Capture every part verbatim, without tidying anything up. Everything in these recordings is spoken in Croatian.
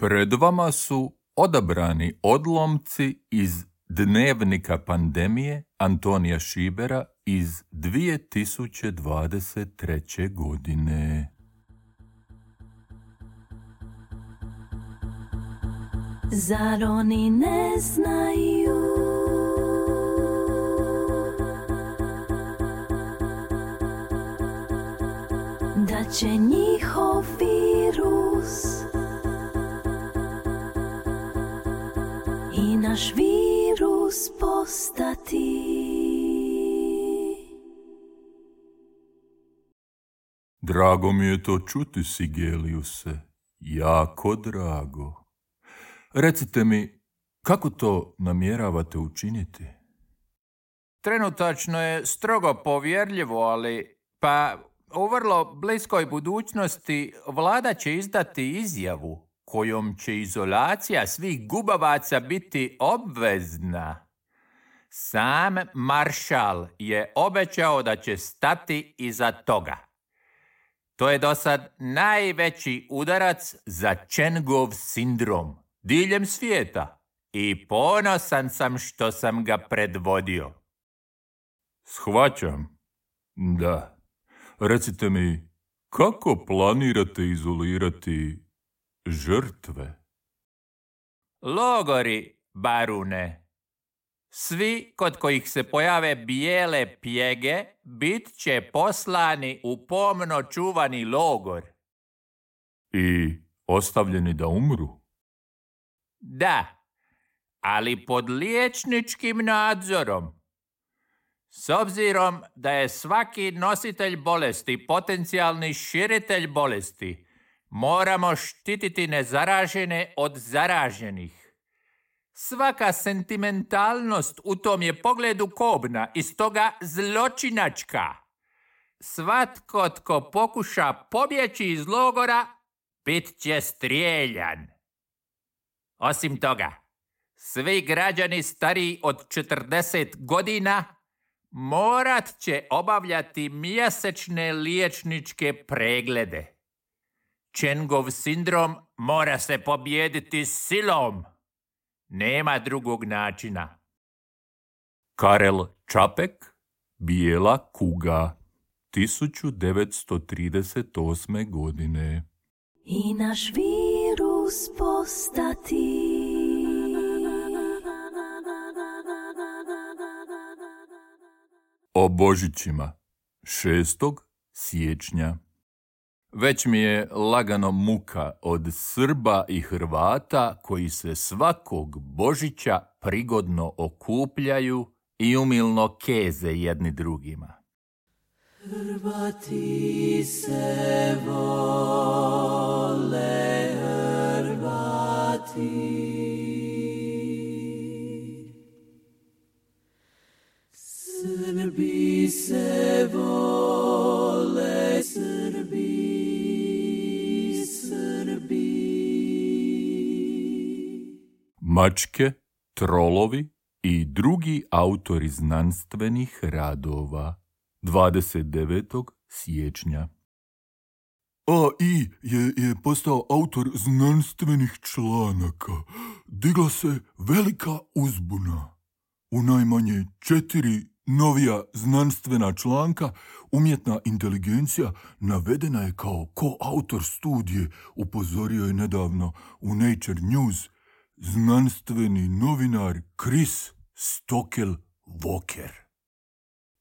Pred vama su odabrani odlomci iz Dnevnika pandemije Antonija Šibera iz dvije tisuće dvadeset treće. godine. Zar oni ne znaju da će njihov virus i naš virus postati? Drago mi je to čuti, Sigeliuse, jako drago. Recite mi, kako to namjeravate učiniti? Trenutačno je strogo povjerljivo, ali pa u vrlo bliskoj budućnosti vlada će izdati izjavu kojom će izolacija svih gubavaca biti obvezna. Sam maršal je obećao da će stati iza toga. To je do sad najveći udarac za Čengov sindrom diljem svijeta i ponosan sam što sam ga predvodio. Shvaćam. Da. Recite mi, kako planirate izolirati žrtve? Logori, barune. Svi kod kojih se pojave bijele pjege bit će poslani u pomno čuvani logor. I ostavljeni da umru? Da, ali pod liječničkim nadzorom. S obzirom da je svaki nositelj bolesti potencijalni širitelj bolesti, moramo štititi nezaražene od zaraženih. Svaka sentimentalnost u tom je pogledu kobna i stoga zločinačka. Svatko tko pokuša pobjeći iz logora, bit će strijeljan. Osim toga, svi građani stariji od četrdeset godina morat će obavljati mjesečne liječničke preglede. Čengov sindrom mora se pobijediti silom. Nema drugog načina. Karel Čapek, Bijela kuga, tisuću devetsto trideset osme. godine. I naš virus postati. O Božićima, šestog siječnja. Već mi je lagano muka od Srba i Hrvata koji se svakog Božića prigodno okupljaju i umilno keze jedni drugima. Hrvati se vole, Hrvati. Srbi se vole, Srbi, Srbi. Mačke, trolovi i drugi autori znanstvenih radova. dvadeset devetog siječnja. A I je, je postao autor znanstvenih članaka. Digla se velika uzbuna. U najmanje četiri novija znanstvena članka umjetna inteligencija navedena je kao koautor studije, upozorio je nedavno u Nature News znanstveni novinar Chris Stockel-Walker.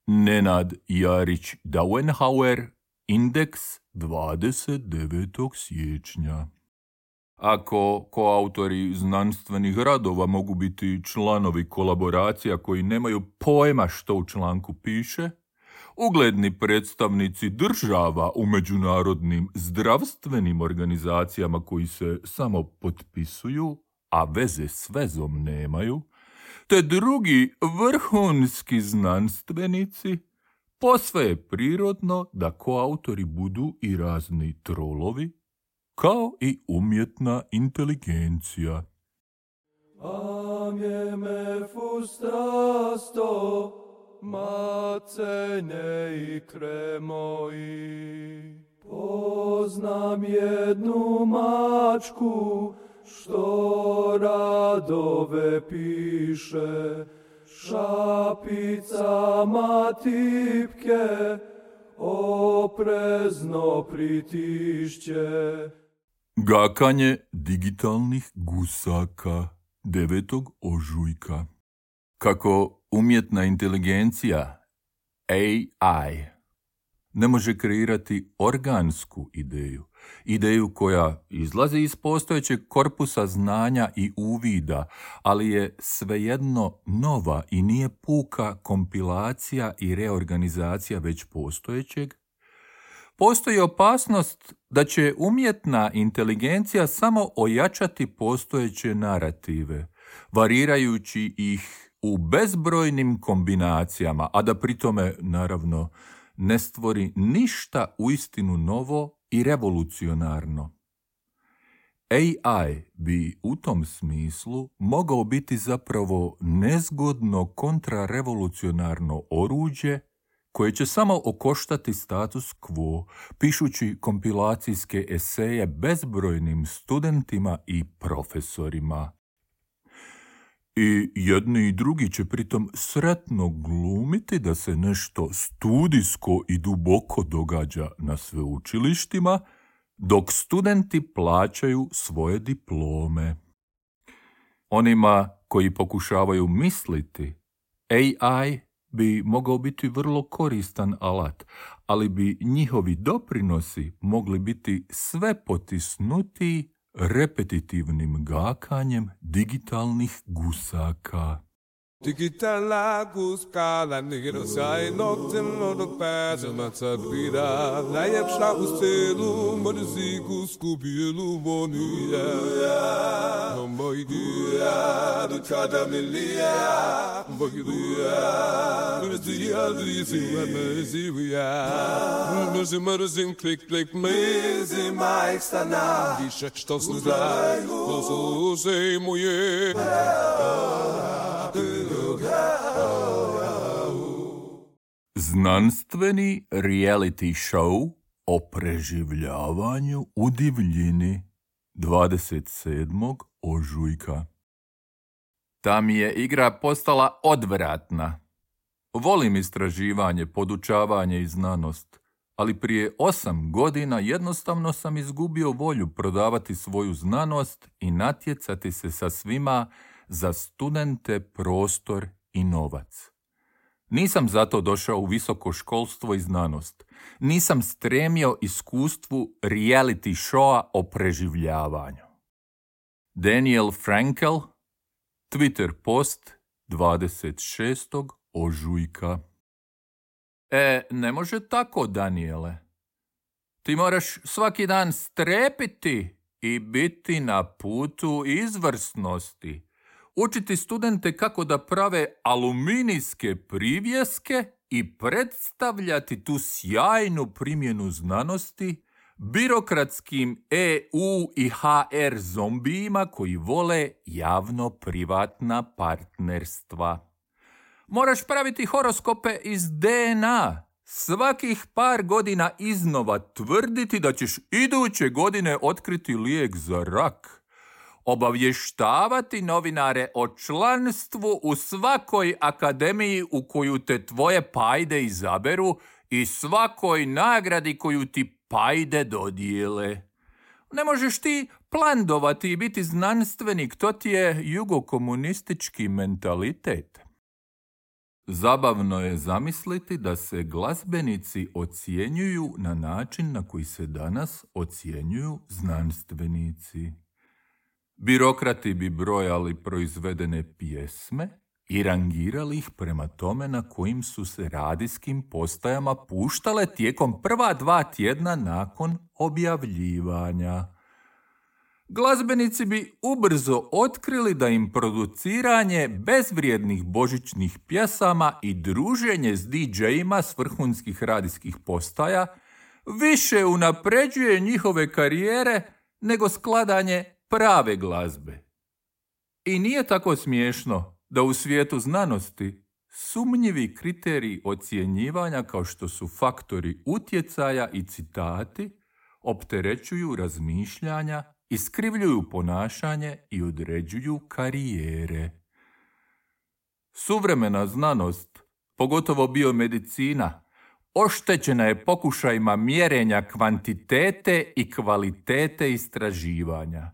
Nenad Jarić Dauenhauer, Indeks, dvadeset devetog siječnja. Ako koautori znanstvenih radova mogu biti članovi kolaboracija koji nemaju pojma što u članku piše, ugledni predstavnici država u međunarodnim zdravstvenim organizacijama koji se samo potpisuju, a veze s vezom nemaju, te drugi vrhunski znanstvenici, posve je prirodno da koautori budu i razni trolovi, kao i umjetna inteligencija. Amieme fustrasto, macene i kremoji. Poznam jednu mačku, što radove piše, šapicama tipke oprezno pritišće. Gakanje digitalnih gusaka devetog ožujka. Kako umjetna inteligencija A I ne može kreirati organsku ideju, ideju koja izlazi iz postojećeg korpusa znanja i uvida, ali je svejedno nova i nije puka kompilacija i reorganizacija već postojećeg, postoji opasnost da će umjetna inteligencija samo ojačati postojeće narative, varirajući ih u bezbrojnim kombinacijama, a da pritome, naravno, ne stvori ništa uistinu novo i revolucionarno. A I bi u tom smislu mogao biti zapravo nezgodno kontrarevolucionarno oruđe koje će samo okoštati status quo, pišući kompilacijske eseje bezbrojnim studentima i profesorima. I jedni i drugi će pritom sretno glumiti da se nešto studijsko i duboko događa na sveučilištima, dok studenti plaćaju svoje diplome. Onima koji pokušavaju misliti, A I bi mogao biti vrlo koristan alat, ali bi njihovi doprinosi mogli biti sve potisnutiji repetitivnim gakanjem digitalnih gusaka. Digitala guskala nigero sai noktem no pasa matsabira layepsha ustelu modzi guskubilu bonuya moidia du kadamilia bogidia mezia disi mezia mezi mezin click click mezi maistana disha što snuzaj to se moje. Znanstveni reality show o preživljavanju u divljini dvadeset sedmog ožujka. Ta mi je igra postala odvratna. Volim istraživanje, podučavanje i znanost, ali prije osam godina jednostavno sam izgubio volju prodavati svoju znanost i natjecati se sa svima za studente, prostor i novac. Nisam zato došao u visoko školstvo i znanost. Nisam stremio iskustvu reality showa o preživljavanju. Daniel Frankel, Twitter post dvadeset šestog ožujka. E, ne može tako, Daniele. Ti moraš svaki dan strepiti i biti na putu izvrsnosti. Učiti studente kako da prave aluminijske privjeske i predstavljati tu sjajnu primjenu znanosti birokratskim E U i H R zombijima koji vole javno-privatna partnerstva. Moraš praviti horoskope iz D N A. Svakih par godina iznova tvrditi da ćeš iduće godine otkriti lijek za rak. Obavještavati novinare o članstvu u svakoj akademiji u koju te tvoje pajde izaberu i svakoj nagradi koju ti pajde dodijele. Ne možeš ti plandovati i biti znanstvenik, to ti je jugokomunistički mentalitet. Zabavno je zamisliti da se glazbenici ocjenjuju na način na koji se danas ocjenjuju znanstvenici. Birokrati bi brojali proizvedene pjesme i rangirali ih prema tome na kojim su se radijskim postajama puštale tijekom prva dva tjedna nakon objavljivanja. Glazbenici bi ubrzo otkrili da im produciranje bezvrijednih božićnih pjesama i druženje s D J-ima s vrhunskih radijskih postaja više unapređuje njihove karijere nego skladanje prave glazbe. I nije tako smiješno da u svijetu znanosti sumnjivi kriteriji ocjenjivanja kao što su faktori utjecaja i citati opterećuju razmišljanja iskrivljuju ponašanje i određuju karijere. Suvremena znanost, pogotovo biomedicina, oštećena je pokušajima mjerenja kvantitete i kvalitete istraživanja.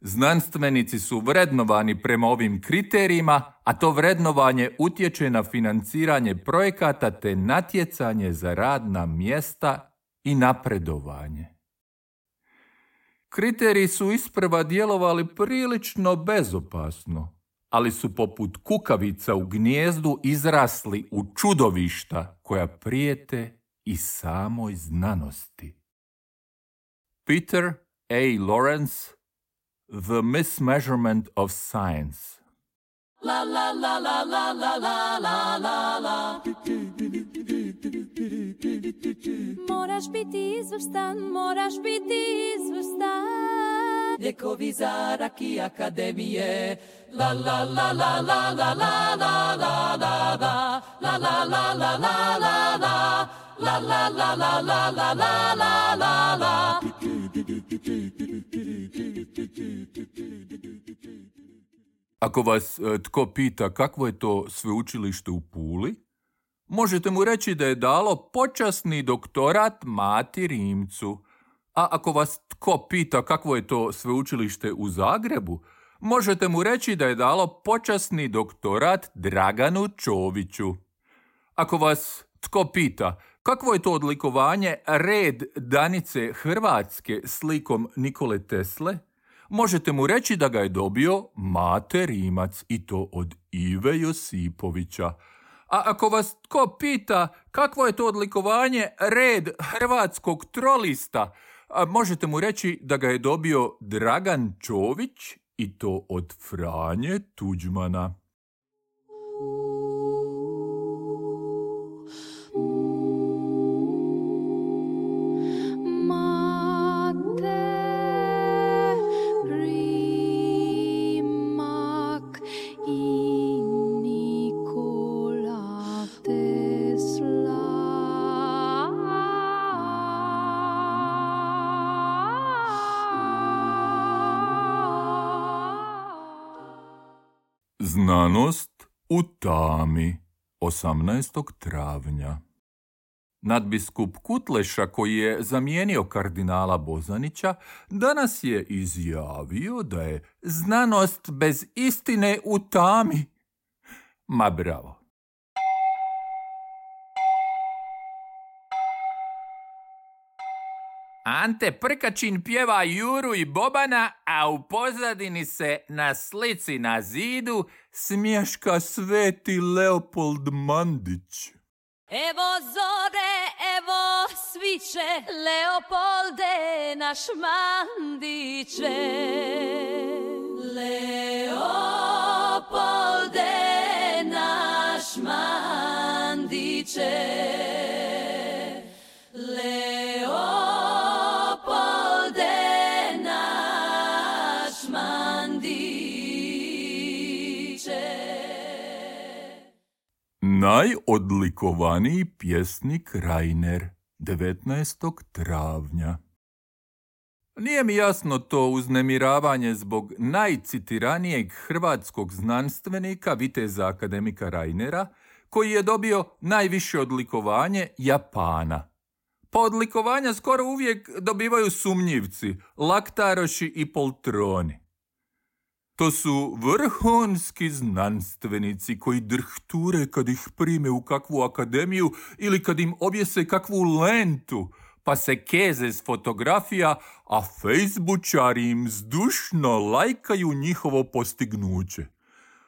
Znanstvenici su vrednovani prema ovim kriterijima, a to vrednovanje utječe na financiranje projekata te natjecanje za radna mjesta i napredovanje. Kriteriji su isprva djelovali prilično bezopasno, ali su poput kukavica u gnijezdu izrasli u čudovišta koja prijete i samoj znanosti. Peter A. Lawrence, The Mismeasurement of Science. La la la la la la la la la la. Moraš biti izvrstan, moraš biti izvrstan. Lijekovi za rak i akademije. La la la la la la la la la la la. La la la la la la la. La la la la la la la la la la. Ako vas e, tko pita kakvo je to sveučilište u Puli, možete mu reći da je dalo počasni doktorat Mati Rimcu. A ako vas tko pita kakvo je to sveučilište u Zagrebu, možete mu reći da je dalo počasni doktorat Draganu Čoviću. Ako vas tko pita kakvo je to odlikovanje Red Danice Hrvatske slikom Nikole Tesle, možete mu reći da ga je dobio Mate Rimac i to od Ive Josipovića. A ako vas tko pita kakvo je to odlikovanje Red Hrvatskog trolista, možete mu reći da ga je dobio Dragan Čović i to od Franje Tuđmana. Znanost u tami, osamnaestog travnja. Nadbiskup Kutleša, koji je zamijenio kardinala Bozanića, danas je izjavio da je znanost bez istine u tami. Ma bravo. Ante Prkačin pjeva Juru i Bobana, a u pozadini se na slici na zidu smješka sveti Leopold Mandić. Evo zore, evo sviće, Leopolde naš Mandiće. Leopolde naš Mandiće. Najodlikovaniji pjesnik Rainer, devetnaestog travnja. Nije mi jasno to uznemiravanje zbog najcitiranijeg hrvatskog znanstvenika, viteza akademika Rainera, koji je dobio najviše odlikovanje Japana. Pa odlikovanja skoro uvijek dobivaju sumnjivci, laktaroši i poltroni. To su vrhunski znanstvenici koji drhture kad ih prime u kakvu akademiju ili kad im objese kakvu lentu, pa se keze s fotografija, a fejsbučari im zdušno lajkaju njihovo postignuće.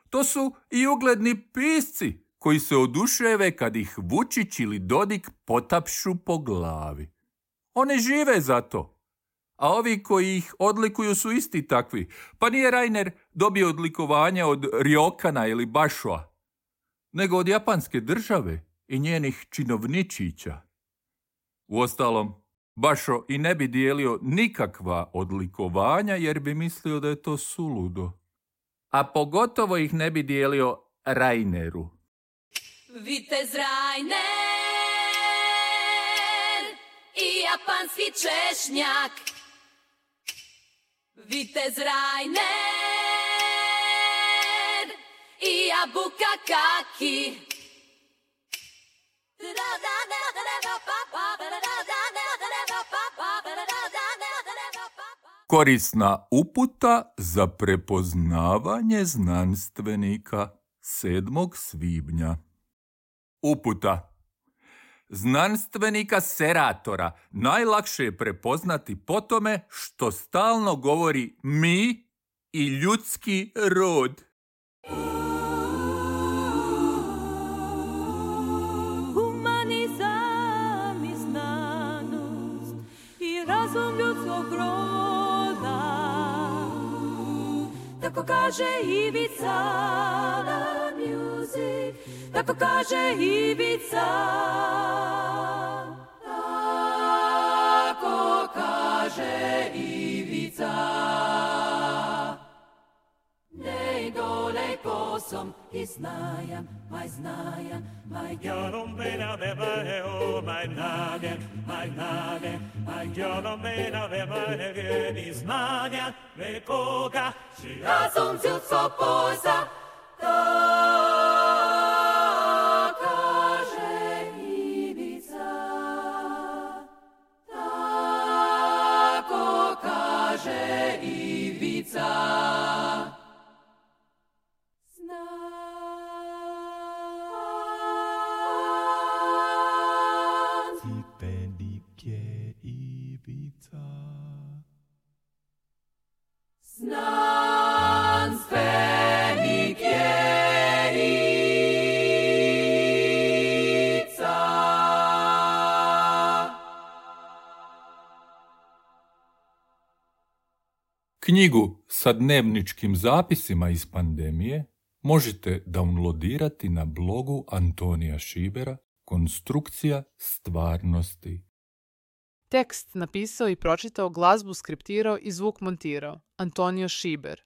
To su i ugledni pisci koji se oduševe kad ih Vučić ili Dodik potapšu po glavi. One žive za to. A ovi koji ih odlikuju su isti takvi. Pa nije Rainer dobio odlikovanje od Ryokana ili Bashoa, nego od japanske države i njenih činovničića. Uostalom, Basho i ne bi dijelio nikakva odlikovanja jer bi mislio da je to suludo. A pogotovo ih ne bi dijelio Raineru. Vitez Rainer i japanski češnjak. Vitez Rainer i Jabuka Kaki. Korisna uputa za prepoznavanje znanstvenika sedmog svibnja. Uputa. Znanstvenika seratora najlakše je prepoznati po tome što stalno govori mi i ljudski rod. Humanizam i znanost i razum ljudskog roda, tako kaže Ivica na music, tako kaže Ivica, tako kaže Ivica. Nej dole kosom i znajan, maj znajan, maj Gjörom bena veva o maj nagen, maj nagen, maj gjörom bena veva i znajan, ve koga si razum ljudskog poza, tako kaže Ivica, tako kaže Ivica. Znanstvenik je Ivica. Knjigu sa dnevničkim zapisima iz pandemije možete downloadirati na blogu Antonija Šibera Konstrukcija stvarnosti. Tekst napisao i pročitao, glazbu skriptirao i zvuk montirao Antonio Šiber.